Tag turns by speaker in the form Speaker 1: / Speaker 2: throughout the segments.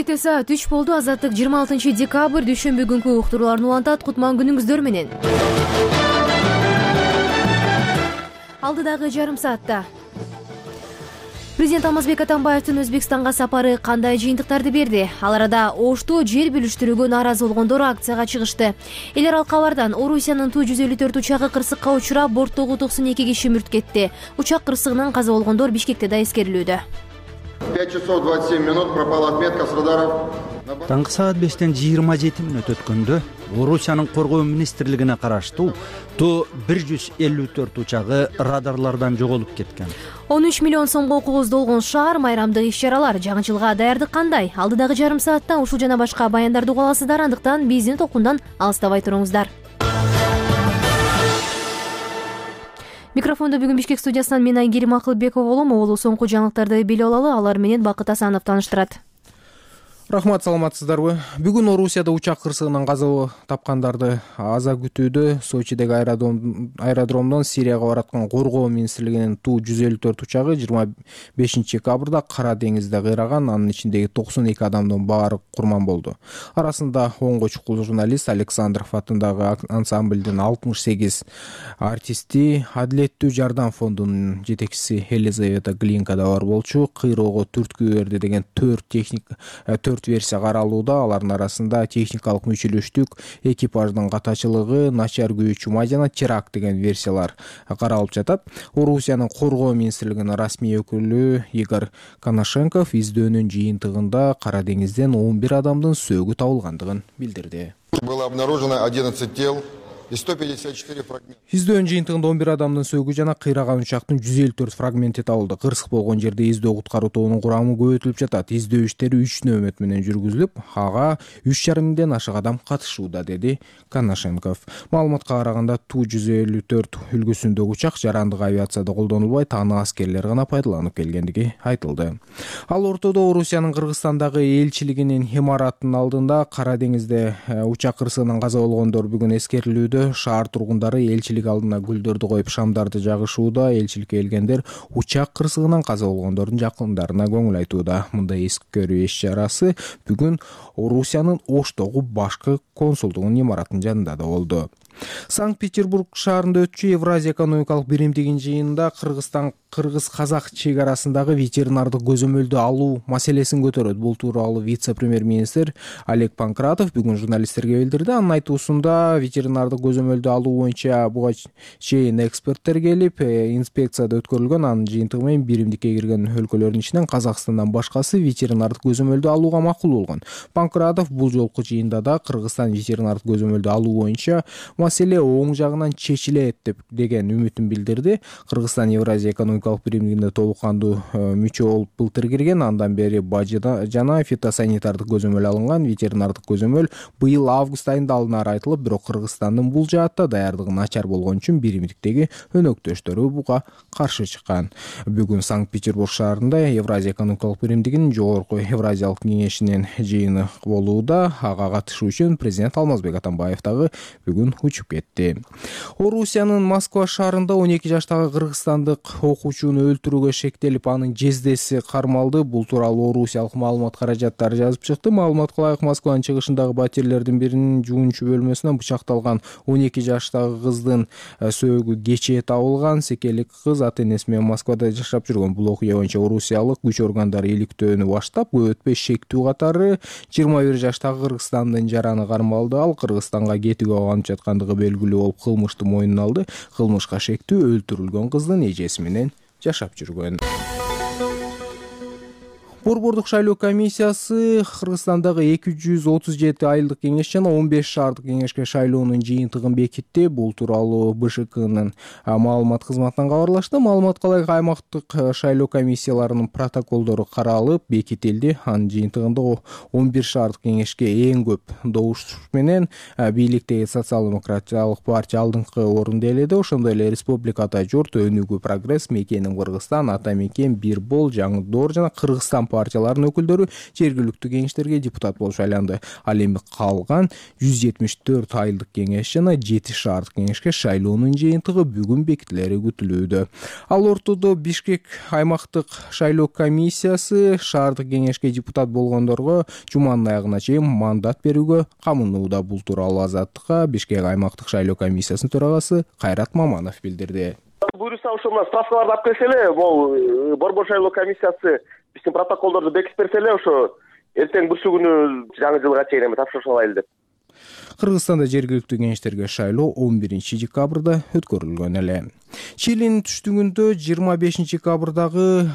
Speaker 1: Бишкекте саат 3 болду. Азаттык 26 декабрь дүйшөмбү күнкү уктурууларын улантат. Кутман күнүңүздөр менен. Алдыдагы жарым саатта Президент Алмазбек Атамбаевдин Өзбекстанга сапары кандай жыйынтыктарды берди? Ал арада Ошто жер бүлүштүрүүгө нааразы болгондор акцияга чыгышты. Эл аралык кабардан Орусиянын Ту-154 учагы кырсыкка учурап, борттогу 92 киши мүрт кетти. Учак кырсыгынан каза болгондор Бишкекте да эскерилүүдө.
Speaker 2: 5 часов 27 минут пропала отметка с радаров.
Speaker 3: Таңкы саат 5-тен 27 мүнөт өткөндө Орусиянын коргоо министрлигине караштуу Ту-154 учагы радарлардан жоголуп кеткен.
Speaker 1: 13 миллион сомго кооздолгон шаар, майрамдык иш-чаралар, жагынчылыкка даярдык кандай? Алдыдагы жарым саатта ушул жана башка баяндарды уга аласыздар, андыктан биздин толкундан алыстабай туруңуздар. Микрофондо бүгүн Бишкек студиясынан мен Айгерим Акылбекова болом. Оболу соңку жаңылыктарды билип алалы, алар менен Бакыт Асанов тааныштырат.
Speaker 4: Рахмат, саламатсыздарбы? Бүгүн Орусияда учак кырсыгынан каза тапкандарды аза күтүүдө. Сочидеги аэродромдон Сирияга бараткан коргоо министрлигинин Ту-154 учагы 25 декабрда Кара деңизде кыйраган. Анын ичиндеги 92 адамдын баары курман болду. Арасында 10 чукул журналист, Александров атындагы ансамблдин 68 артисти, Адилеттүү жардам фондунун жетекчиси Елизавета Глинка да бар болчу. Кыйроого түрткү берди деген 4 версия каралууда. Алардын арасында техникалык мүчөлөштүк, экипаждын катачылыгы, начар күйүү чума жана теракт деген версиялар каралып жатат. Орусиянын коргоо министрлигинин расмий өкүлү Игорь Коношенков издөөнүн жыйынтыгында Кара деңизден 11 адамдын сөөгү табылгандыгын билдирди.
Speaker 2: Было обнаружено 11 тел и 154 фрагмента.
Speaker 4: Издөөнүн жыйынтыгында 11 адамдын сөөгү жана кыйраган учактын 154 фрагменти табылды. Кырсык болгон жерде издөө куткаруу тобунун курамы көбөйтүлүп жатат. Издөө иштери 3 нөөмөт менен жүргүзүлүп, ага 3,5 миңден ашык адам катышууда, деди Коношенков. Маалыматка караганда Ту-154 үлгүсүндөгү учак жарандык авиацияда колдонулбай, таанык аскерлер гана пайдаланып келгендиги айтылды. Ал ортодо Орусиянын Кыргызстандагы элчилигинин имаратынын алдында Кара деңизде учак кырсыгынан каза болгондор бүгүн эскерилүүдө. Шаар тургундары элчилик алдына гүлдөрдү коюп шамдарды жагышууда. Элчиликке келгендер учак кырсыгынан каза болгондордун жакындарына көңүл айтууда. Мындай эскерүү иш-чарасы бүгүн Орусиянын Оштогу башкы консулдугунун имаратынын жанында да болду. Санкт-Петербург шаарында өтчү Евразия экономикалык биримдигинин жыйынында Кыргыз-Казак чек арасындагы ветеринардык көзөмөлдү алуу маселесин көтөрөт. Бул тууралуу вице-премьер-министр Олег Панкратов бүгүн журналисттерге билдирди. Анын айтуусунда ветеринардык көзөмөлдү алуу боюнча буга чейин эксперттер келип, инспекцияда өткөрүлгөн. Анын жыйынтыгы менен биримдикке кирген өлкөлөрдүн ичинен Казакстандан башкасы ветеринардык көзөмөлдү алууга макул болгон. Панкратов бул жолку жыйында да Кыргызстан ветеринардык көзөмөлдү алуу боюнча маселе оң жагынан чечилет деген үмүтүн билдирди. Кыргызстан Евразия экономикалык биримдигине толук кандуу мүчө болуп былтыр кирген. Андан бери бажы жана фитосанитардык көзөмөл алынган. Ветеринардык көзөмөл быйыл август айында алынары айтылып, бирок Кыргызстандын бул жаатта даярдыгы начар болгон үчүн биримдиктеги өнөктөштөрү буга каршы чыккан. Бүгүн Санкт-Петербург шаарында Евразия экономикалык биримдигинин жогорку Евразиялык кеңешинин жыйыны болууда. Ага катышуу үчүн президент Алмазбек Атамбаев дагы бүгүн учуп кетти. Орусиянын Москва шаарында 12 жаштагы кыргызстандык окуучуну өлтүрүүгө шектелип, анын жездеси кармалды. Бул тууралуу орусиялык маалымат каражаттары жазып чыкты. Маалыматка ылайык, Москванын чыгышындагы батирлердин биринин жуунчу бөлмөсүнөн бычакталган 12 жаштагы кыздын сөөгү кечээ табылган. Секелик кыз ата-энеси менен Москвада жашап жүргөн. Бул окуя боюнча орусиялык күч органдары иликтөөнү баштап, көп өтпөй шектүү катары 21 жаштагы кыргызстандын жараны кармалды. Ал Кыргызстанга кетүүгө алынып жаткандыгы белгилүү болуп, кылмышты мойнуна алды. Кылмышка шектүү өлтүрүлгөн кыздын эжеси менен жашап жүргөн. Борбордук шайлоо комиссиясы Кыргызстандагы 237 айылдык кеңеш жана 15 шаардык кеңешке шайлоонун жыйынтыгын бекитти. Бул тууралуу БШКнын маалымат кызматынан кабарлашты. Маалыматка ылайык, аймактык шайлоо комиссияларынын протоколдору каралып бекитилди. Анын жыйынтыгында 11 шаардык кеңешке эң көп добуш менен бийликтеги социал-демократиялык партия алдыңкы орунду ээледи. Ошондой эле Республикада Журт, Өнүгүү, Прогресс, Мекеним Кыргызстан, Ата Мекен, Бир Бол, Жаңы Доор жана Кыргызстан партиялардын өкүлдөрү жергиликтүү кеңештерге депутат болуп шайланды. Ал эми калган 174 айылдык кеңеш жана 7 шаардык кеңешке шайлоонун жыйынтыгы бүгүн бекитилери күтүлүүдө. Ал ортодо Бишкек аймактык шайлоо комиссиясы шаардык кеңешке депутат болгондорго жуманын аягына чейин мандат берүүгө камынууда. Бул тууралуу Азаттыкка Бишкек аймактык шайлоо комиссиясынын төрагасы Кайрат Маманов билдирди.
Speaker 5: Буюрса ошо мына справкаларды алып келсе эле, могу борбор шайлоо комиссиясы биздин протоколдорду бекитип берсе эле, ошо эртең бүрсү күнү жаңы жылга чейин эми тапшырыш алайлы деп.
Speaker 4: Кыргызстанда жергиликтүү кеңештерге шайлоо 11 декабрда өткөрүлгөн эле. Чилинин түштүгүндө 25 декабрдагы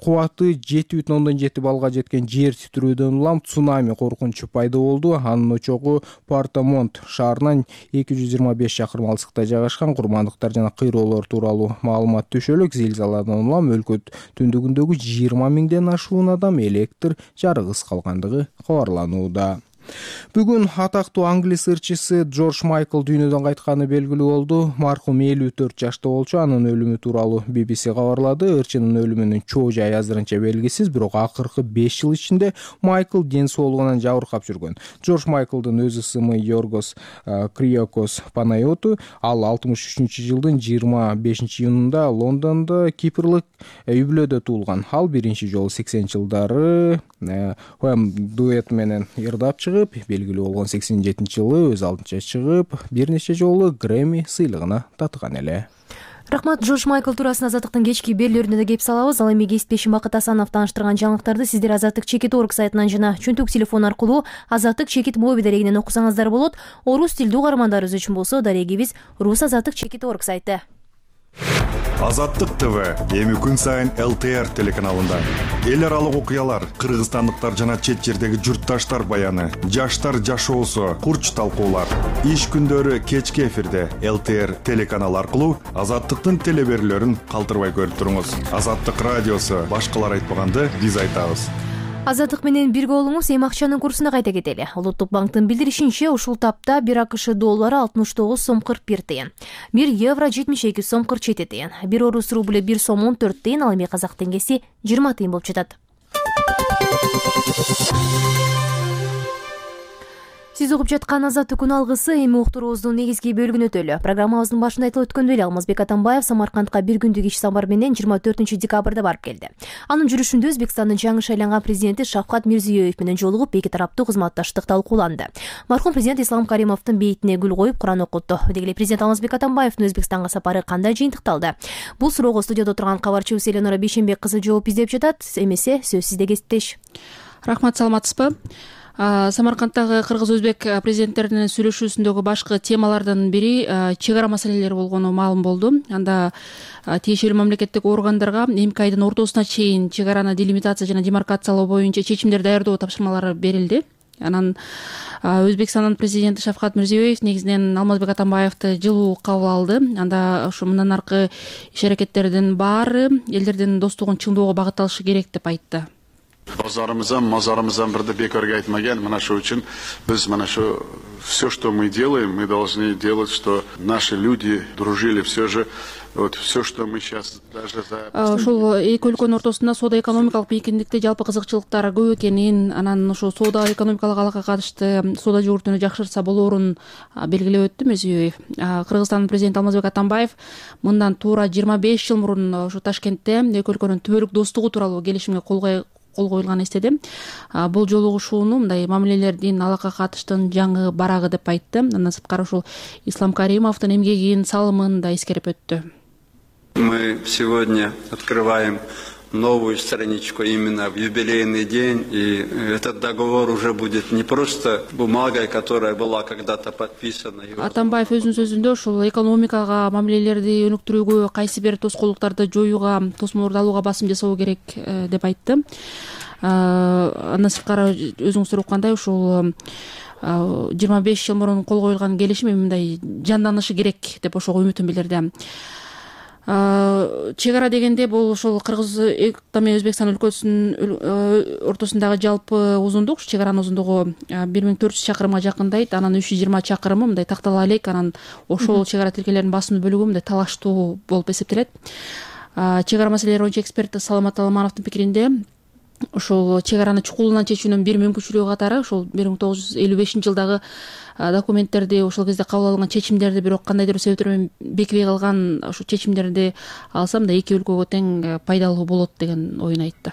Speaker 4: кубаты 7,7 баллга жеткен жер титирөөдөн улам цунами коркунучу пайда болду. Анын очогу Портомонт шаарынан 225 чакырым алыстыкта жайгашкан. Курмандыктар жана кыйроолор тууралуу маалымат түшөлүк. Зилзаладан улам өлкө түндүгүндөгү 20 миңден ашуун адам электр жарыгысыз калгандыгы кабарланууда. Бүгүн атактуу англис ырчысы Джордж Майкл дүйнөдөн кайтканы белгилүү болду. Маркум 54 жашта болчу. Анын өлүмү тууралуу BBC кабарлады. Ырчынын өлүмүнүн чоо жайы азырынча белгисиз, бирок акыркы 5 жыл ичинде Майкл ден соолугунан жабыркап жүргөн. Джордж Майклдын өз ысымы Йоргос Криокос Панайоту. Ал 63-жылдын 25-июнунда Лондондо Кипрлык үй-бүлөдө туулган. Ал биринчи жолу 80-жылдары дуэт менен ырдап чыгып, белгилүү болгон 87-жылы өз алдынча чыгып, бир нече жолу Грэмми сыйлыгына татыган эле.
Speaker 1: Рахмат. Джордж Майкл туурасында Азаттыктын кечки берүүлөрүндө да кеп салабыз. Ал эми кесиптешим Бакыт Асанов тааныштырган жаңылыктарды сиздер Азаттык.org сайтынан жана чөнтөк телефон аркылуу Азаттык мобиль дарегинен окусаңыздар болот. Орус тилдүү угармандарыбыз үчүн болсо дарегибиз Рус Азаттык.org сайты.
Speaker 6: Азаттык ТВ эми күн сайын ЛТР телеканалында. Эл аралык окуялар, кыргызстандыктар жана чет жердеги журтташтар баяны, жаштар жашоосу, курч талкуулар. Иш күндөрү кечки эфирде ЛТР телеканалы аркылуу Азаттыктын телеберүүлөрүн калтырбай көрүп туруңуз. Азаттык радиосу башкалар айтпаганды биз айтабыз.
Speaker 1: Азаттык менен бирге болуңуз. Эми акчанын курсуна кайта кетели. Улуттук банктын билдиришинче, ушул тапта 1 АКШ доллары 69 сом 41 тыйын, 1 евро 72 сом 47 тыйын, 1 орус рубль 1 сом 14 тыйын, ал эми казак теңгеси 20 тыйын болуп жатат. Сиз угуп жаткан Азаттык күн алгысы эми уктуруубуздун негизги бөлүгүнө өтөлү. Программабыздын башында айтылып өткөндөй эле Алмазбек Атамбаев Самаркандка бир күндүк иш сапар менен 24 декабрда барып келди. Анын жүрүшүндө Өзбекстандын жаңы шайланган президенти Шавкат Мирзиёев менен жолугуп, эки тараптуу кызматташтык талкууланды. Мархум президент Ислам Каримовдун бейитине гүл коюп, Куран окутту. Деги эле президент Алмазбек Атамбаевдин Өзбекстанга сапары кандай жыйынтыкталды? Бул суроого студияда отурган кабарчыбыз Эленора Бейшенбек кызы жооп издеп жатат. Эмесе сөз сизде, кесиптеш.
Speaker 7: Рахмат, саламатсызбы? Самаркандтагы кыргыз-өзбек президенттеринин сүйлөшүүсүндөгү башкы темалардын бири чек ара маселелери болгону маалым болду. Анда тиешелүү мамлекеттик органдарга эмки айдын ортосуна чейин чек араны делимитация жана демаркациялоо боюнча чечимдер даярдоо тапшырмалары берилди. Анан Өзбекстандын президенти Шавкат Мирзиёев негизинен Алмазбек Атамбаевди жылуу кабыл алды. Анда ушу мындан аркы иш аракеттердин баары элдердин достугун чыңдоого багытталышы керек деп айтты.
Speaker 8: Мазарымыздан бирди бекарга айтмаган. Мына ошол үчүн биз мына ошо все, что мы делаем, мы должны делать, что наши люди дружили все же. Вот все, что мы сейчас даже за
Speaker 7: ошол эки өлкөнүн ортосунда соода экономикалык бийикиндикте жалпы кызыкчылыктар көп экенин, анан ошо соода экономикалык алакага катышты соода жүгүртүүнү жакшыртса болоорун белгилеп өттү Мирзиёев. Кыргызстандын президенти Алмазбек Атамбаев мындан туура 25 жыл мурун ошо Ташкентте эки өлкөнүн түбөлүк достугу тууралуу келишимге кол коюлганын эстеди. Бул жолугушууну мындай мамилелердин алакага катыштын жаңы барагы деп айтты. Андан сырткары ушул Ислам Каримовдун эмгегин, салымын да эскерип өттү.
Speaker 9: Мы сегодня открываем новую страничку именно в юбилейный день, и этот договор уже будет не просто бумагой, которая была когда-то подписана.
Speaker 7: Атамбаев өзүнүн сөзүндө ушул экономикага, мамилелерди өнүктүрүүгө, кайсы бир тоскоолдуктарды жоюуга, тосмолорду алууга басым жасоо керек деп айтты. Андан сырткары өзүңүз сураккандай ушул 25 жыл мурун кол коюлган келишим мындай жанданышы керек деп ошого үмүтүн билдирди. Чек ара дегенде бул ошол Кыргыз менен Өзбекстан өлкөсүнүн ортосундагы жалпы узундук, чек аранын узундугу 1400 чакырымга жакындайт. Анан 320 чакырымы мындай тактала элек, анан ошол чек ара тилкелеринин басым бөлүгү мындай талаштуу болуп эсептелет. Чек ара маселелери боюнча эксперт Саламат Аламановдун пикиринде ошол чек араны чукулунан чечүүнүн бир мүмкүнчүлүгү катары ошол 1955-жылдагы документтерди, ошол кезде кабыл алынган чечимдерди, бирок кандайдыр бир себептер менен бекибей калган ошол чечимдерди алсам да эки өлкөгө тең пайдалуу болот деген оюн айтты.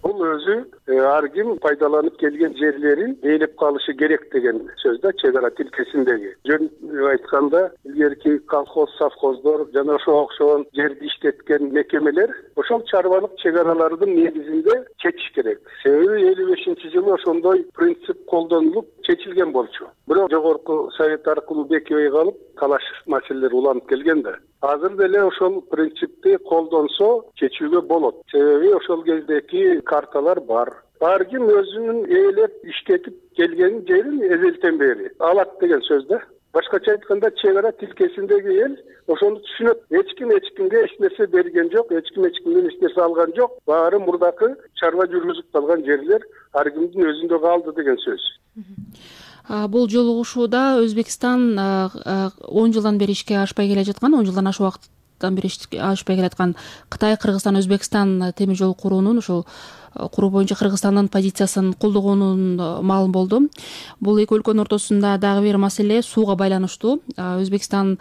Speaker 10: Бул өзү ар ким пайдаланып келген жерлерин ээлеп калышы керек деген сөз да чек ара тилкесиндеги. Жөн айтканда илгерки колхоз, совхоздор жана ошого окшогон жерди иштеткен мекемелер ошол чарбалык чек аралардын негизинде чечиш керек. Себеби 55-жылы ошондой принцип колдонулуп чечилген болчу. Бирок жогорку совет аркылуу бекибей калып талаш маселелер уланып келген да. Азыр деле ошол принципти колдонсо чечүүгө болот. Себеби ошол кездеки карталар бар. Ар ким өзүнүн ээлеп иштетип келген жерин эзелтен бери алат деген сөз да. Башкача айтканда чек ара тилкесиндеги эл ошону түшүнөт. Эч кимге эч нерсе берген жок, эч кимден эч нерсе алган жок. Баары мурдакы чарба жүргүзүп калган жерлер ар кимдин өзүндө калды деген сөз.
Speaker 7: Бул жолугушууда Өзбекстан 10 жылдан бери ишке ашпай келе жаткан, 10 жылдан ашык убакыттан бери ашпай келе жаткан Кытай, Кыргызстан, Өзбекстан темир жол куруунун ошол куруу боюнча Кыргызстандын позициясын колдогонун маалым болду. Бул эки өлкөнүн ортосунда дагы бир маселе сууга байланыштуу. Өзбекстан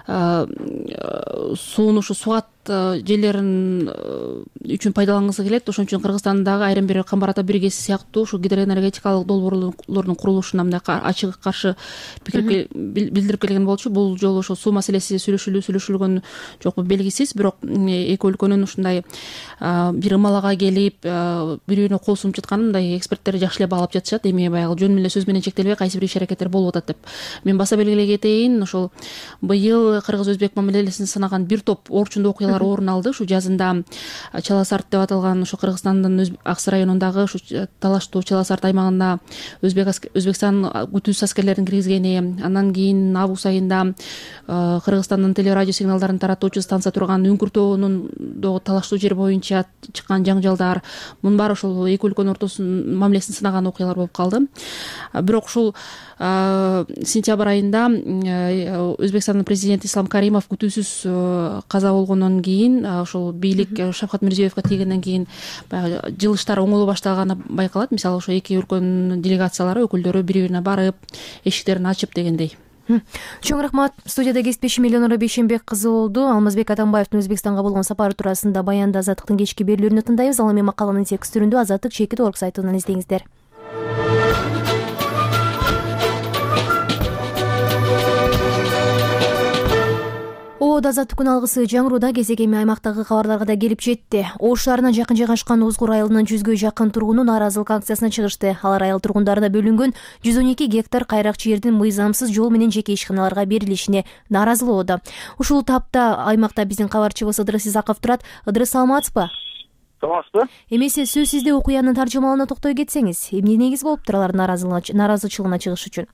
Speaker 7: сууну ушу сугат жерлерин үчүн пайдалангысы келет. Ошон үчүн Кыргызстандагы айрым бир Камбар ата биргеси сыяктуу ушу гидроэнергетикалык долбоорлордун курулушуна мындай ачык каршы пикир билдирип келген болчу. Бул жолу ошол суу маселеси сүйлөшүлгөн жокпу белгисиз, бирок эки өлкөнүн ушундай бир ымалага келип бири-бирине кол сунуп жатканын мындай эксперттер жакшы эле баалап жатышат. Эми баягы жөн эле сөз менен чектелбей кайсы бир иш-аракеттер болуп атат деп. Мен баса белгилей кетейин, ошол быйыл кыргыз-өзбек мамилесин сынаган бир топ орчундуу окуялар орун алды. Ушу жазында Чаласарт деп аталган ушу Кыргызстандын Аксы районундагы ушу талаштуу Чаласарт аймагында Өзбекстан күтүүсүз аскерлерин киргизгени, андан кийин август айында Кыргызстандын телерадио сигналдарын таратуучу станция турган Үңкүртөөнүн талаштуу жер боюнча чыккан жаңжалдар, мунун баары ошол эки өлкөнүн ортосунун мамилесин сынаган окуялар болуп калды. Бирок ушул сентябрь айында Өзбекстандын президенти Ислам Каримов күтүүсүз каза болгондон кийин ошол бийлик Шавкат Мирзиёевге тийгенден кийин баягы жылыштар оңоло баштаганы байкалат. Мисалы ошо эки өлкөнүн делегациялары, өкүлдөрү бири-бирине барып, эшиктерин ачып дегендей.
Speaker 1: Чоң рахмат. Студияда кесиптешим Элеонора Бейшенбек кызы болду. Алмазбек Атамбаевдин Өзбекстанга болгон сапары туурасында баянда Азаттыктын кечки берүүлөрүнө тындайбыз. Ал эми макаланын текст түрүндө Азаттык Чекит.org сайтынан издеңиздер. Азаттыктын алгысы жаңырууда кезек эми аймактагы кабарларга да келип жетти. Ош шаарына жакын жайгашкан Озгур айылынын 100гө жакын тургуну нааразылык акциясына чыгышты. Алар айыл тургундарына бөлүнгөн 112 гектар кайрак жердин мыйзамсыз жол менен жеке ишканаларга берилишине нааразы болууда. Ушул тапта аймакта биздин кабарчыбыз Ыдрыс Исаков турат. Ыдрыс, саламатсызбы?
Speaker 5: Саламатсызбы?
Speaker 1: Эмесе сөзсүздө окуянын таржымалына токтой кетсеңиз, эмне негиз болуптур алардын нааразычылыгына чыгыш үчүн?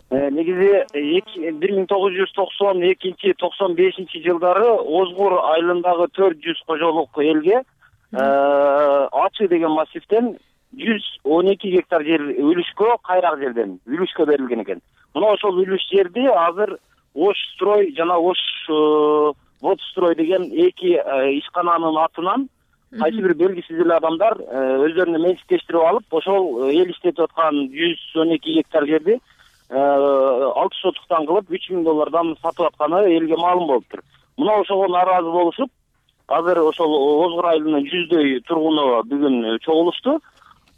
Speaker 5: Негизи 1992-95 жылдары Озгур айылындагы 400 кожолук элге Ачы деген массивден 112 гектар жер үлүшкө, кайрак жерден үлүшкө берилген экен. Мына ошол үлүш жерди азыр Ош строй жана Ош водстрой деген эки ишкананын атынан кайсы бир белгисиз эле адамдар өздөрүнө менчиктештирип алып, ошол эл иштетип аткан 112 гектар жерди 6 сотуктан кылып $3000 сатып атканы элге маалым болуптур. Мына ошого нааразы болушуп, азыр ошол Озгур айылынын 100дөй тургуну бүгүн чогулушту.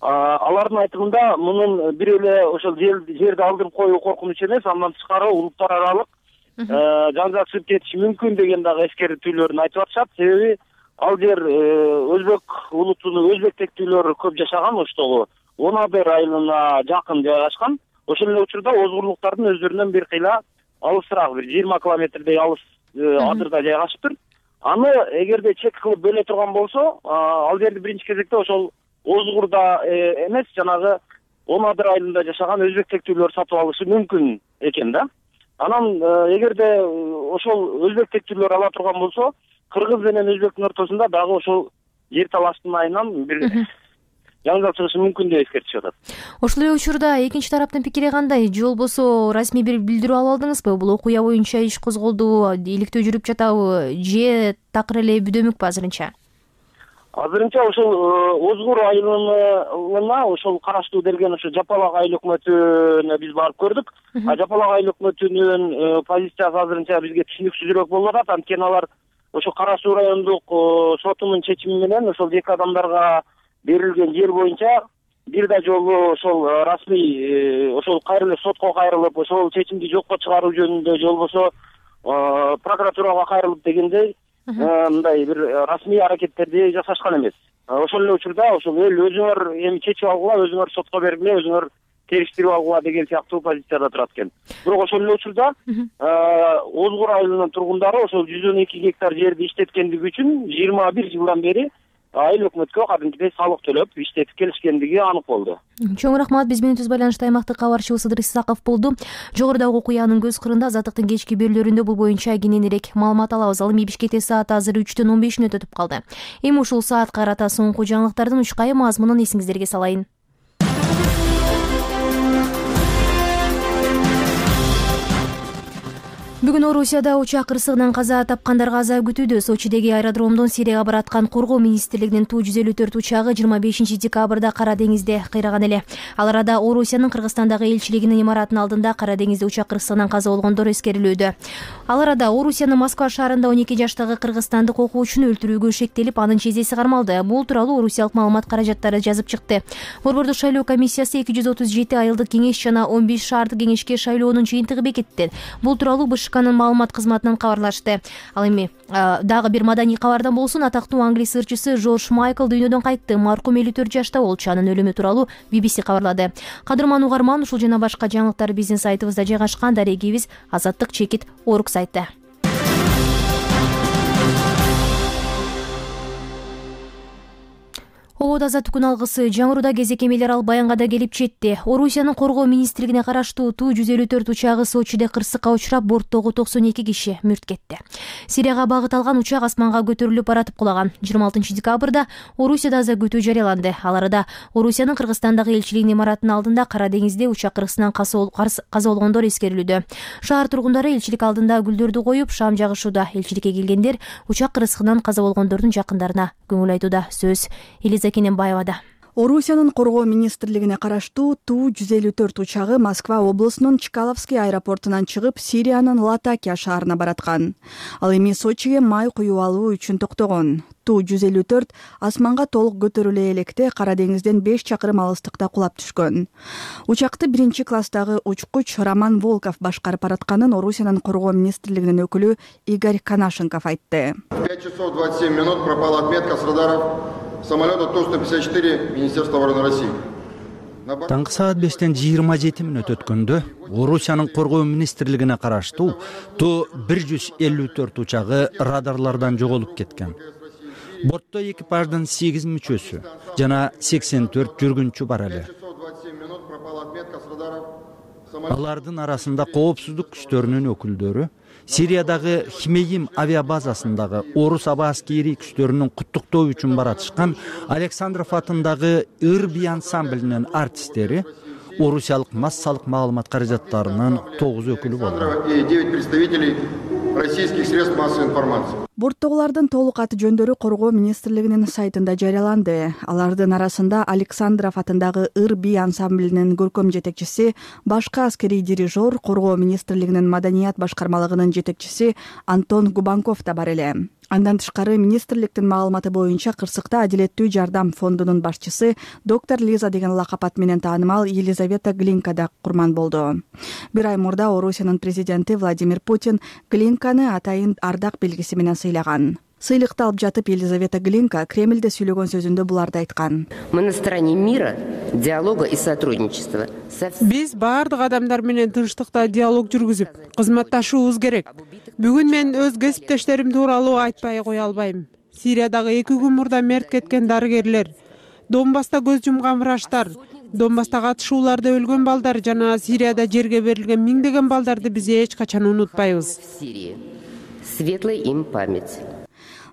Speaker 5: Алардын айтымында мунун бир эле ошол жерди алдырып коюу коркунуч эмес, андан тышкары улуттар аралык жаңжал чыгып кетиши мүмкүн деген дагы эскертүүлөрүн айтып атышат. Себеби ал жер өзбек улутунун өзбек тектүүлөрү көп жашаган, оштогу Онадыр айылына жакын жайгашкан. Ошол эле учурда озгурлуктардын өздөрүнөн бир кыйла алысыраак, бир 20 километрдей алыс адырда жайгашыптыр. Аны эгерде чек кылып бөлө турган болсо, ал жерди биринчи кезекте ошол Озгурда эмес, жанагы Онадыр айылында жашаган өзбек тектүүлөр сатып алышы мүмкүн экен да. Анан эгерде ошол өзбек тектүүлөр ала турган болсо, кыргыз менен өзбектин ортосунда дагы ошол жер талаштын айынан бир жаңжал чыгышы мүмкүн деп эскертишип атат.
Speaker 1: Ошол эле учурда экинчи тараптын пикири кандай? Же болбосо расмий бир билдирүү ала алдыңызбы? Бул окуя боюнча иш козголду, иликтөө жүрүп жатабы же такыр эле бүдөмүкпү азырынча?
Speaker 5: Азырынча ошол Озгур айылына ошол караштуу делген ошо Жапалак айыл өкмөтүнө биз барып көрдүк. Жапалак айыл өкмөтүнүн позициясы азырынча бизге түшүнүксүзүрөөк болуп атат. Анткени алар ошо Кара Суу райондук сотунун чечими менен ошол 2 адамдарга берилген жер боюнча бир да жолу ошол расмий ошол кайрылып сотко кайрылып ошол чечимди жокко чыгаруу жөнүндө же болбосо прокуратурага кайрылып дегендей мындай бир расмий аракеттерди жасашкан эмес. Ошол эле учурда ошол эл өзүңөр эми чечип алгыла, өзүңөр сотко бергиле, өзүңөр териштирип алгыла деген сыяктуу позицияда турат экен. Бирок ошол эле учурда Озгур айылынын тургундары ошол 112 гектар жерди иштеткендиги үчүн 21 жылдан бери айыл өкмөткө кадимкидей салык төлөп иштетип келишкендиги анык болду.
Speaker 1: Чоң рахмат. Биз менен түз байланышта аймактык кабарчыбыз Сыдыр Исаков болду. Жогорудагы окуянын көз кырында Азаттыктын кечки берүүлөрүндө бул боюнча кененирээк маалымат алабыз. Ал эми Бишкекте саат азыр 3:15 өтүп калды. Эми ушул саатка карата соңку жаңылыктардын учкайы мазмунун эсиңиздерге салайын. Бүгүн Орусияда учак кырсыгынан каза тапкандарга аза күтүүдө. Сочидеги аэродромдон Сирияга бараткан Коргоо министрлигинин Ту-154 учагы 25 декабрда Кара деңизде кыйраган эле. Ал арада Орусиянын Кыргызстандагы элчилигинин имаратынын алдында Кара деңизде учак кырсыгынан каза болгондор эскерилүүдө. Ал арада Орусиянын Москва шаарында 12 жаштагы кыргызстандык окуучуну өлтүрүүгө шектелип, анын чезеси кармалды. Бул тууралуу орусиялык маалымат каражаттары жазып чыкты. Борбордук шайлоо комиссиясы 237 айылдык кеңеш жана 15 шаардык кеңешке шайлоонун жыйынтыгы бекитти. Бул тууралуу БШКнын маалымат кызматынан кабарлашты. Ал эми дагы бир маданий кабардан болсун, атактуу англис ырчысы Жорж Майкл дүйнөдөн кайтты. Маркум 54 жашта болчу. Анын өлүмү тууралуу BBC кабарлады. Кадырман угарман, ушул жана башка жаңылыктар биздин сайтыбызда жайгашкан. Дарегибиз Azаттык-org сайты. Обод азаттыктын алгысы жаңыруда кезек эмелер ал баянга да келип жетти. Орусиянын Коргоо министрлигине караштуу Ту-154 учагы Сочиде кырсыкка учурап, борттогу 92 киши мүрт кетти. Сирияга багыт алган учак асманга көтөрүлүп баратып кулаган. 26 декабрда Орусияда аза күтүү жарыяланды. Ал арада Орусиянын Кыргызстандагы элчилигинин имаратынын алдында Кара деңизде учак кырсыгынан каза болгондор эскерилүүдө. Шаар тургундары элчилик алдында гүлдөрдү коюп, шам жагышууда. Элчиликке келгендер учак кырсыгынан каза болгондордун жакындарына көңүл айтууда. Сөз Кененбаевада.
Speaker 11: Орусиянын Коргоо министрлигине караштуу Ту-154 учагы Москва облусунун Чкаловский аэропортунан чыгып, Сириянын Латакия шаарына бараткан. Ал эми Сочиге май куюп алуу үчүн токтогон. Ту-154 асманга толук көтөрүлө электе Кара деңизден 5 чакырым алыстыкта кулап түшкөн. Учакты 1-класстагы учкуч Роман Волков башкарып баратканын Орусиянын Коргоо министрлигинин өкүлү Игорь Канашенков айтты.
Speaker 2: 5 часов 27 минут пропала отметка с радаров самолета Ту-154 Министерства обороны России.
Speaker 3: Таңкы саат 5:27 мүнөт өткөндө Орусиянын Коргоо министрлигине караштуу Ту-154 учагы радарлардан жоголуп кеткен. Бортто экипаждын 8 мүчөсү жана 84 жүргүнчү бар эле. Алардын арасында коопсуздук күчтөрүнүн өкүлдөрү, Сириядагы Хмейим авиабазасындагы орус аба аскери күчтөрүнүн куттуктоо үчүн баратышкан Александров атындагы Ыр-би ансамблинин артисттери, орусиялык массалык маалымат каражаттарынын 9 өкүлү болду.
Speaker 2: И 9 представителей российских средств массовой информации.
Speaker 11: Борттогулардын толук аты жөндөрү Коргоо министрлигинин сайтында жарыяланды. Алардын арасында Александров атындагы Ыр-би ансамблинин көркөм жетекчиси, башкы аскерий дирижер, Коргоо министрлигинин маданият башкармалыгынын жетекчиси Антон Губанков да бар эле. Андан тышкары министрликтин маалыматы боюнча кырсыкта Адилеттүү жардам фондунун башчысы доктор Лиза деген лакап аты менен таанымал Елизавета Глинка да курман болду. Бир ай мурда Орусиянын президенти Владимир Путин Глинканы атайын ардак белгиси менен сыйлаган. Сыйлыкты алып жатып Елизавета Глинка Кремльде сүйлөгөн сөзүндө буларды айткан.
Speaker 12: Мы на стороне мира, диалога и сотрудничества.
Speaker 13: Биз баардык адамдар менен тынчтыкта диалог жүргүзүп, кызматташуубуз керек. Бүгүн мен өз кесиптештерим тууралуу айтпай кое албайм. Сириядагы 2 күн мурда мерт кеткен дарыгерлер, Донбасста көз жумган врачтар, Донбасстагы атышууларда өлгөн балдар жана Сирияда жерге берилген миңдеген балдарды биз эч качан унутпайбыз.
Speaker 12: Светлая им память.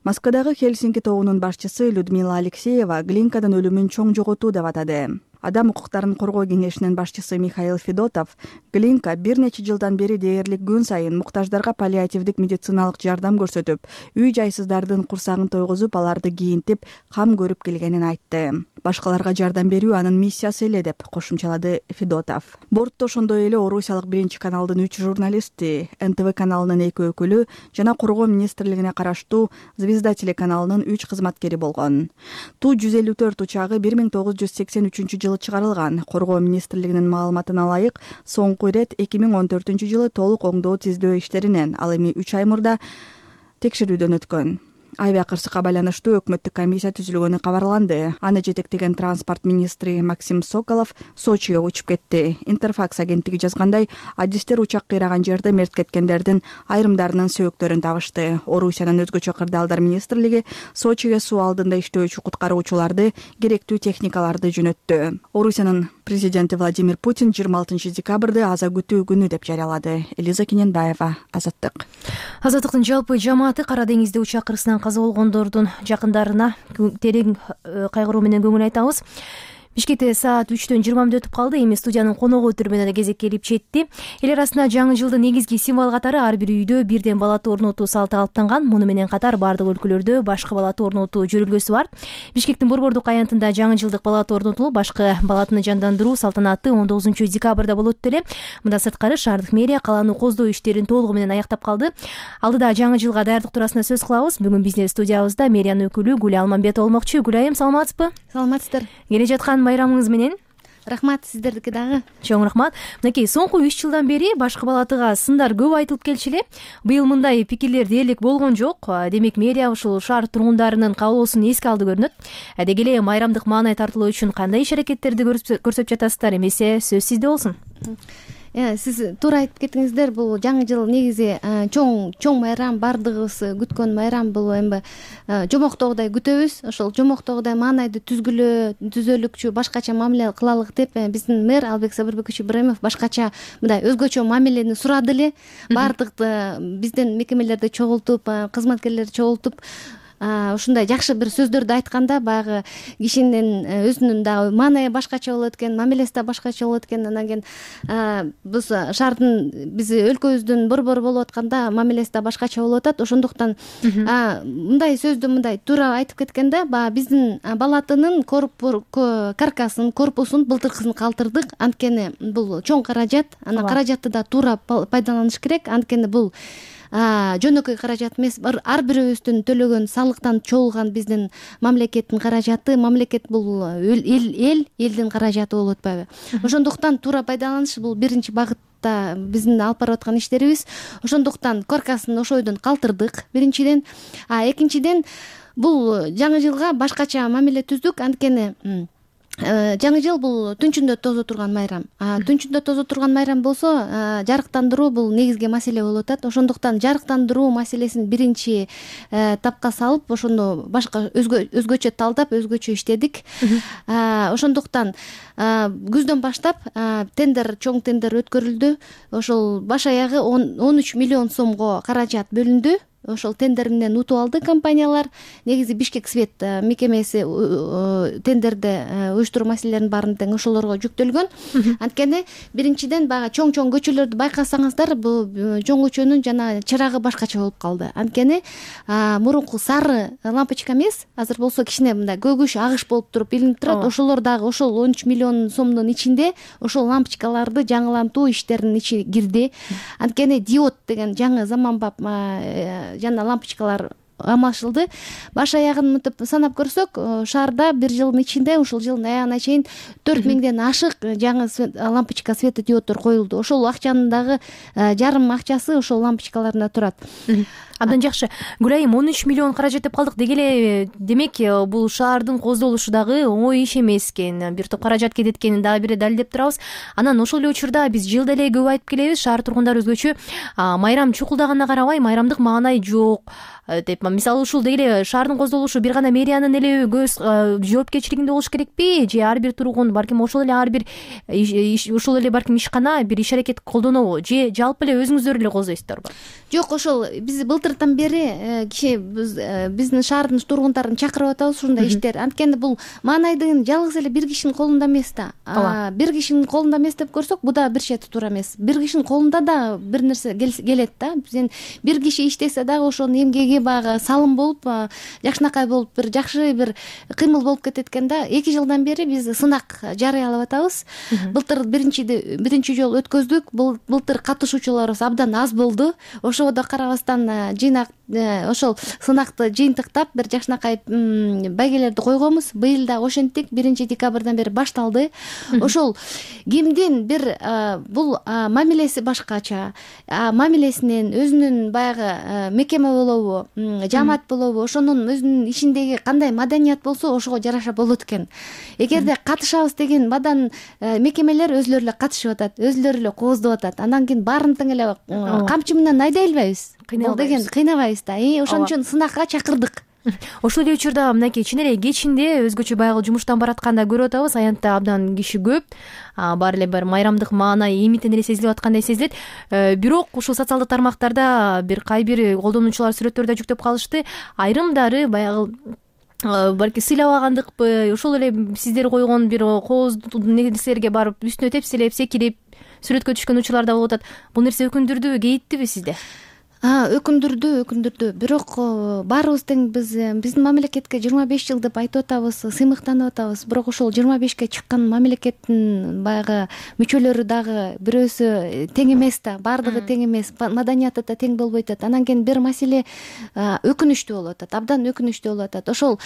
Speaker 11: Москвадагы Хельсинки тобунун башчысы Людмила Алексеева Глинканын өлүмүн чоң жоготуу деп атады. Адам укуктарын коргоо кеңешинин башчысы Михаил Федотов Глинка бир нече жылдан бери дээрлик күн сайын муктаждарга паллиативдик медициналык жардам көрсөтүп, үй жайсыздардын курсагын тойгузуп, аларды кийинтип, кам көрүп келгенин айтты. Башкаларга жардам берүү анын миссиясы эле деп кошумчалады Федотов. Бортто ошондой эле Орусиялык 1-каналдын 3 журналисти, НТВ каналынын 2 өкүлү жана коргоо министрлигине караштуу Звезда телеканалынын 3 кызматкери болгон. Ту-154 учагы 1983 жылы чыгарылган. Коргоо министрлигинин маалыматына ылайык, соңку ирет 2014 жылы толук оңдоо тиздөө иштеринен, ал эми 3 ай мурда текшерүүдөн өткөн. Авиакырсыкка байланыштуу өкмөттүк комиссия түзүлгөнү кабарланды. Аны жетектеген транспорт министри Максим Соколов Сочиге учуп кетти. Интерфакс агенттиги жазгандай, адистер учак кыйраган жерде мерт кеткендердин айрымдарынын сөөктөрүн табышты. Орусиянын өзгөчө кырдаалдар министрлиги Сочиге суу алдында иштөөчү куткаруучуларды, керектүү техникаларды жөнөттү. Орусиянын президенти Владимир Путин 26 декабрды аза күтүү күнү деп жарыялады. Элиза Кененбаева, Азаттык.
Speaker 1: Азаттыктын жалпы жамааты Кара деңизде учак кырсынан каза болгондордун жакындарына терең кайгыруу менен көңүл айтабыз. Бишкекте саат 3-төн 20 мүнөт өтүп калды. Эми студиянын коногу өтүрмөнө кезек келип жетти. Эл арасында жаңы жылдын негизги символ катары ар бир үйдө бирден балаты орнотуу салты калыптанган. Муну менен катар бардык өлкөлөрдө башкы балаты орнотуу жүрүлгөсү бар. Бишкектин Борбордук аянтында жаңы жылдык балаты орнотулуп, башкы балатыны жандандыруу салтанаты 19 декабрда болот эле. Мындан сырткары шаардык мэрия калааны коздоо иштерин толугу менен аяктап калды. Алдыда жаңы жылга даярдык туурасында сөз кылабыз. Бүгүн биздин студиябызда мэриянын өкүлү Гүл Алмамбет болмокчу. Гүл айым, саламатсызбы?
Speaker 14: Саламатсыздар.
Speaker 1: Келе жаткан майрамыңыз менен.
Speaker 14: Рахмат, сиздердики дагы.
Speaker 1: Чоң рахмат. Мынакей соңку 3 жылдан бери башкы балатыга сындар көп айтылып келчү эле. Быйыл мындай пикирлер дээрлик болгон жок. Демек мэрия ушул шаар тургундарынын каалоосун эске алды көрүнөт. Деги эле майрамдык маанай тартылуу үчүн кандай иш-аракеттерди көрсөтүп жатасыздар? Эмесе сөз сизде болсун.
Speaker 14: Сиз туура айтып кеттиңиздер. Бул жаңы жыл негизи чоң майрам, бардыгыбыз күткөн майрам. Бул эми жомоктогудай күтөбүз. Ошол жомоктогудай маанайды түзөлүкчү, башкача мамиле кылалык деп биздин мэр Албек Сабырбекович Ибраимов башкача мындай өзгөчө мамилени сурады эле. Бардыкты биздин мекемелерди чогултуп, кызматкерлерди чогултуп, ушундай жакшы бир сөздөрдү айтканда, баягы кишинин өзүнүн дагы маанайы башкача болот экен, мамилеси да башкача болот экен. Анан кийин биз шаардын, биз өлкөбүздүн борбору болуп атканда мамилеси да башкача болуп атат. Ошондуктан мындай сөздү мындай туура айтып кеткенде, баягы биздин балатынын каркасын, корпусун, былтыркысын калтырдык. Анткени бул чоң каражат, анан каражатты да туура пайдаланыш керек. Анткени бул жөнөкөй каражат эмес, ар бирөөбүздүн төлөгөн салыктан чогулган биздин мамлекеттин каражаты. Мамлекет бул элдин каражаты болуп атпайбы? Ошондуктан туура пайдаланыш бул биринчи багытта биздин алып барып аткан иштерибиз. Ошондуктан коркасын ошойдон калтырдык биринчиден. Экинчиден, бул жаңы жылга башкача мамиле түздүк. Анткени жаңы жыл бул түнчүндө тозо турган майрам. Түнчүндө тозо турган майрам болсо, жарыктандыруу бул негизги маселе болуп атат. Ошондуктан жарыктандыруу маселесин биринчи тапка салып, ошону башка өзгөчө талдап, өзгөчө иштедик. Ошондуктан күздөн баштап чоң тендер өткөрүлдү. Ошол баш аягы 13 миллион сомго каражат бөлүндү. Ошол тендер менен утуп алды компаниялар. Негизи Бишкек свет мекемеси тендерде уюштуруу маселелеринин баарын тең ошолорго жүктөлгөн. Анткени биринчиден баягы чоң көчөлөрдү байкасаңыздар, бул чоң көчөнүн жана чырагы башкача болуп калды. Анткени мурунку сары лампочка эмес, азыр болсо кичине мындай көгүш, агыш болуп туруп илинип турат. Ошолор дагы ошол 13 миллион сомдун ичинде ошол лампочкаларды жаңылантуу иштеринин ичине кирди. Анткени диод деген жаңы заманбап жана лампочкалар алмашылды. Баш аягын мынтип санап көрсөк, шаарда бир жылдын ичинде, ушул жылдын аягына чейин 4000ден ашык жаңы лампочка светодиоддор коюлду. Ошол акчанын дагы жарым акчасы ошол лампочкаларында турат.
Speaker 1: Абдан жакшы. Гүлайым, 13 миллион каражат деп калдык. Деги эле, демек, бул шаардын коздолушу дагы оңой иш эмес экен. Бир топ каражат кететкенин дагы бир далилдеп турабыз. Анан ошол эле учурда биз жылда эле көп айтып келебиз, шаар тургундары өзгөчө майрам чукулдаганына карабай, майрамдык маанай жок деп. Мисалы ушул деги эле шаардын коздолушу бир гана мэриянын эле жоопкерчилигинде болуш керекпи? Же ар бир тургун, балким ошол эле ар бир ушул эле балким ишкана бир иш-аракет колдонобу? Же жалпы эле өзүңүздөр эле коздойсуздарбы?
Speaker 14: Жок, ошол биз былтыр былтыртан бери биздин шаардын тургундарын чакырып атабыз ушундай иштер. Анткени бул маанайдын жалгыз эле бир кишинин колунда эмес да. Бир кишинин колунда эмес деп көрсөк, бул да бир чети туура эмес. Бир кишинин колунда да бир нерсе келет да. Сен бир киши иштесе дагы ошонун эмгеги баягы салым болуп, жакшынакай болуп, бир жакшы бир кыймыл болуп кетет экен да. 2 жылдан бери биз сынак жарыялап атабыз. Былтыр биринчи жолу өткөздүк. Былтыр катышуучуларыбыз абдан аз болду. Ошого да карабастан жыйнак ошол сынакты жыйынтыктап бир жакшынакай байгелерди койгонбуз. Быйыл да ошентип 1 декабрдан бери башталды. Ошол кимдин бир бул мамилеси башкача, мамилесинен өзүнүн баягы мекеме болобу, жамаат болобу, ошонун өзүнүн ишиндеги кандай маданият болсо, ошого жараша болот экен. Эгерде катышабыз деген мадан мекемелер өзлөрү эле катышып атат, өзлөрү эле кооздоп атат. Андан кийин баарын тең эле камчы менен айдай албайбыз. Бул деген кыйнабайбыз да. Ошон үчүн сынакка чакырдык.
Speaker 1: Ошол эле учурда мынакей чын эле кечинде өзгөчө баягы жумуштан баратканда көрүп атабыз, аянтта абдан киши көп, баары эле бир майрамдык маана эмитен эле сезилип аткандай сезилет. Бирок ушул социалдык тармактарда бир кайбир колдонуучулар сүрөттөрдү жүктөп калышты. Айрымдары баягы балки сыйлабагандыкпы, ошол эле сиздер койгон бир кооздуу нерселерге барып үстүнө тепселеп, секирип сүрөткө түшкөн учурлар да болуп атат. Бул нерсе өкүндүрдүбү, кейиттиби сизде? Өкүндүрдү. Бирок баарыбыз тең биздин мамлекетке 25 жыл деп айтып атабыз, сыймыктанып атабыз. Бирок ошол 25ке чыккан мамлекеттин баягы мүчөлөрү дагы бирөөсү тең эмес да, баардыгы тең эмес, маданияты да тең болбой атат. Анан кийин бир маселе өкүнүчтүү болуп атат, абдан өкүнүчтүү болуп атат. Ошол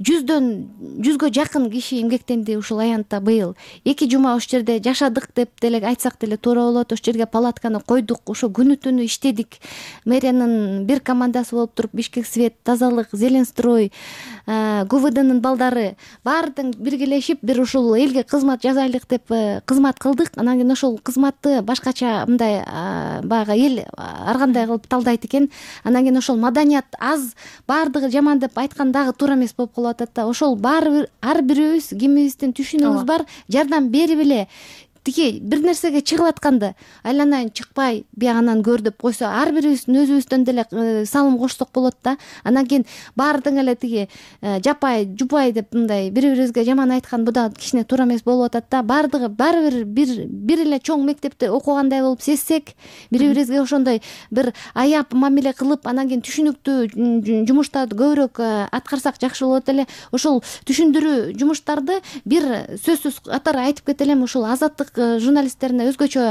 Speaker 1: 100гө жакын киши эмгектенди ушул аянтта быйыл. 2 жума ошол жерде жашадык деп деле айтсак деле туура болот. Ошол жерге палатканы койдук, ошо күнү түнү иштедик. Мэриянын бир командасы болуп туруп, Бишкек свет, тазалык, Зеленстрой, ГУВДнын балдары баары тең биргелешип, бир ушул элге кызмат жасайлык деп кызмат кылдык. Анан кийин ошол кызматты башкача мындай баягы эл ар кандай кылып талдайт экен. Анан кийин ошол маданият аз, баардыгы жаман деп айткан дагы туура эмес болуп калып атат да. Ошол баары ар бирөөбүз кимибиздин түшүнүгүбүз бар, жардам берип эле тиги бир нерсеге чыгып атканды айланайын чыкпай биягынан көр деп койсо, ар бирибиздин өзүбүздөн деле салым кошсок болот да. Анан кийин баары тең эле тиги жапай жупай деп мындай бири-бирибизге жаман айткан, бу да кичине туура эмес болуп атат да. Баардыгы баары бир эле чоң мектепте окугандай болуп сезсек, бири-бирибизге ошондой бир аяп мамиле кылып, анан кийин түшүнүктүү жумуштарды көбүрөөк аткарсак жакшы болот эле. Ошол түшүндүрүү жумуштарды бир сөзсүз катары айтып кетелем, ушул Азаттык журналисттерине өзгөчө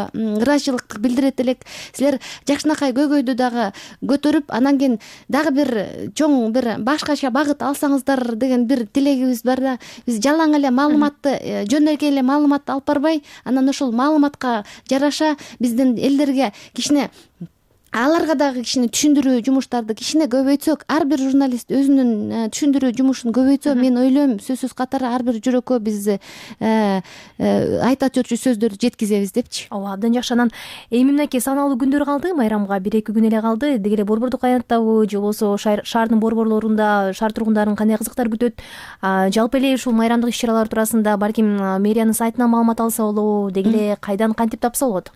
Speaker 1: ыраазычылык билдирет элек. Силер жакшынакай көйгөйдү дагы көтөрүп, анан кийин дагы бир чоң бир башкача багыт алсаңыздар деген бир тилегибиз бар да. Биз жалаң эле маалыматты, жөнөкөй эле маалыматты алып барбай, анан ошол маалыматка жараша биздин элдерге кичине, аларга дагы кичине түшүндүрүү жумуштарды кичине көбөйтсөк, ар бир журналист өзүнүн түшүндүрүү жумушун көбөйтсө, мен ойлойм сөзсүз катары ар бир жүрөккө биз айта жүрчү сөздөрдү жеткизебиз депчи. Ооба, абдан жакшы. Анан эми мынакей саналуу күндөр калды, майрамга 1-2 күн эле калды. Деги эле борбордук аянттабы же болбосо шаардын борборлорунда шаар тургундарын кандай кызыктар күтөт? Жалпы эле ушул майрамдык иш-чаралар туурасында балким мэриянын сайтынан маалымат алса болобу, деги эле кайдан кантип тапса болот?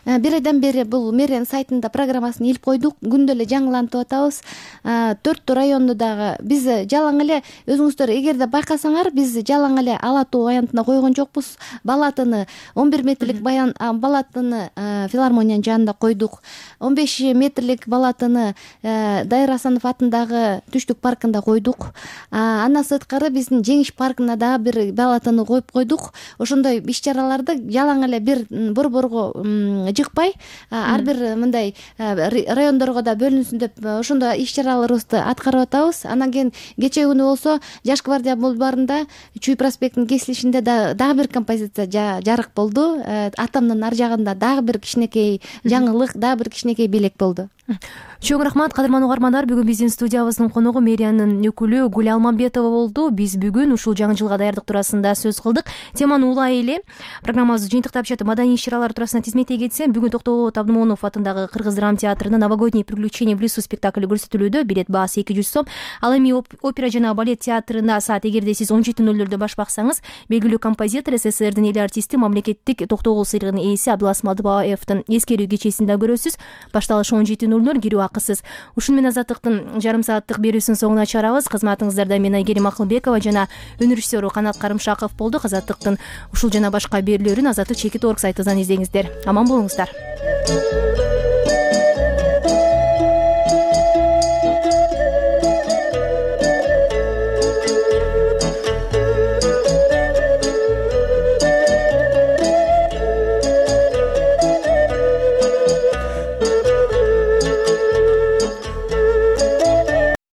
Speaker 14: Бир айдан бери бул мэриянын сайтында программасын илип койдук. Күндө эле жаңылантып атабыз. 4 районду дагы биз жалаң эле, өзүңүздөр эгерде байкасаңар, биз жалаң эле Ала Тоо аянтына койгон жокпуз. Балатыны 11 метрлик балатыны филармониянын жанында койдук. 15 метрлик балатыны Дайыр Асанов атындагы Түштүк паркында койдук. Андан сырткары биздин Жеңиш паркына да бир балатыны коюп койдук. Ошондой иш-чараларды жалаң эле бир борборго жыкпай, ар бир мындай райондорго да бөлүнсүн деп ошондой иш-чараларыбызды аткарып атабыз. Анан кийин кечээ күнү болсо Жаш гвардия бульварында Чүй проспектинин кесилишинде дагы бир композиция жарык болду. Атамдын ар жагында дагы бир кичинекей жаңылык, дагы бир кичинекей белек болду.
Speaker 1: Чоң рахмат, кадырман угармандар. Бүгүн биздин студиябыздын коногу мэриянын өкүлү Гүл Алмамбетова болду. Биз бүгүн ушул жаңы жылга даярдык туурасында сөз кылдык. Теманы улай эле программабызды жыйынтыктап жатып, маданий иш-чаралар туурасында тизметтей кетсем, бүгүн Токтоболот Абдымомунов атындагы Кыргыз драма театрында Новогодние приключения в лесу спектакль көрсөтүлүүдө. Билет баасы 200 сом. Ал эми опера жана балет театрында саат эгерде сиз 17:00 баш баксаңыз, белгилүү композитор, СССРдин эл артисти, мамлекеттик Токтогул сыйлыгынын ээси Абдыласым Адыбаевдин эскерүү кечесин да көрөсүз. Башталышы 17:00. €20 кирүү акысыз. Ушуну менен Азаттыктын жарым сааттык берүүсүнүн соңуна чыгарабыз. Кызматыңыздарда мен Айгерим Акылбекова жана өнөр режиссеру Канат Карымшаков болдук. Азаттыктын ушул жана башка берүүлөрүн Азаттык чекит орг сайтынан издеңиздер. Аман болуңуздар.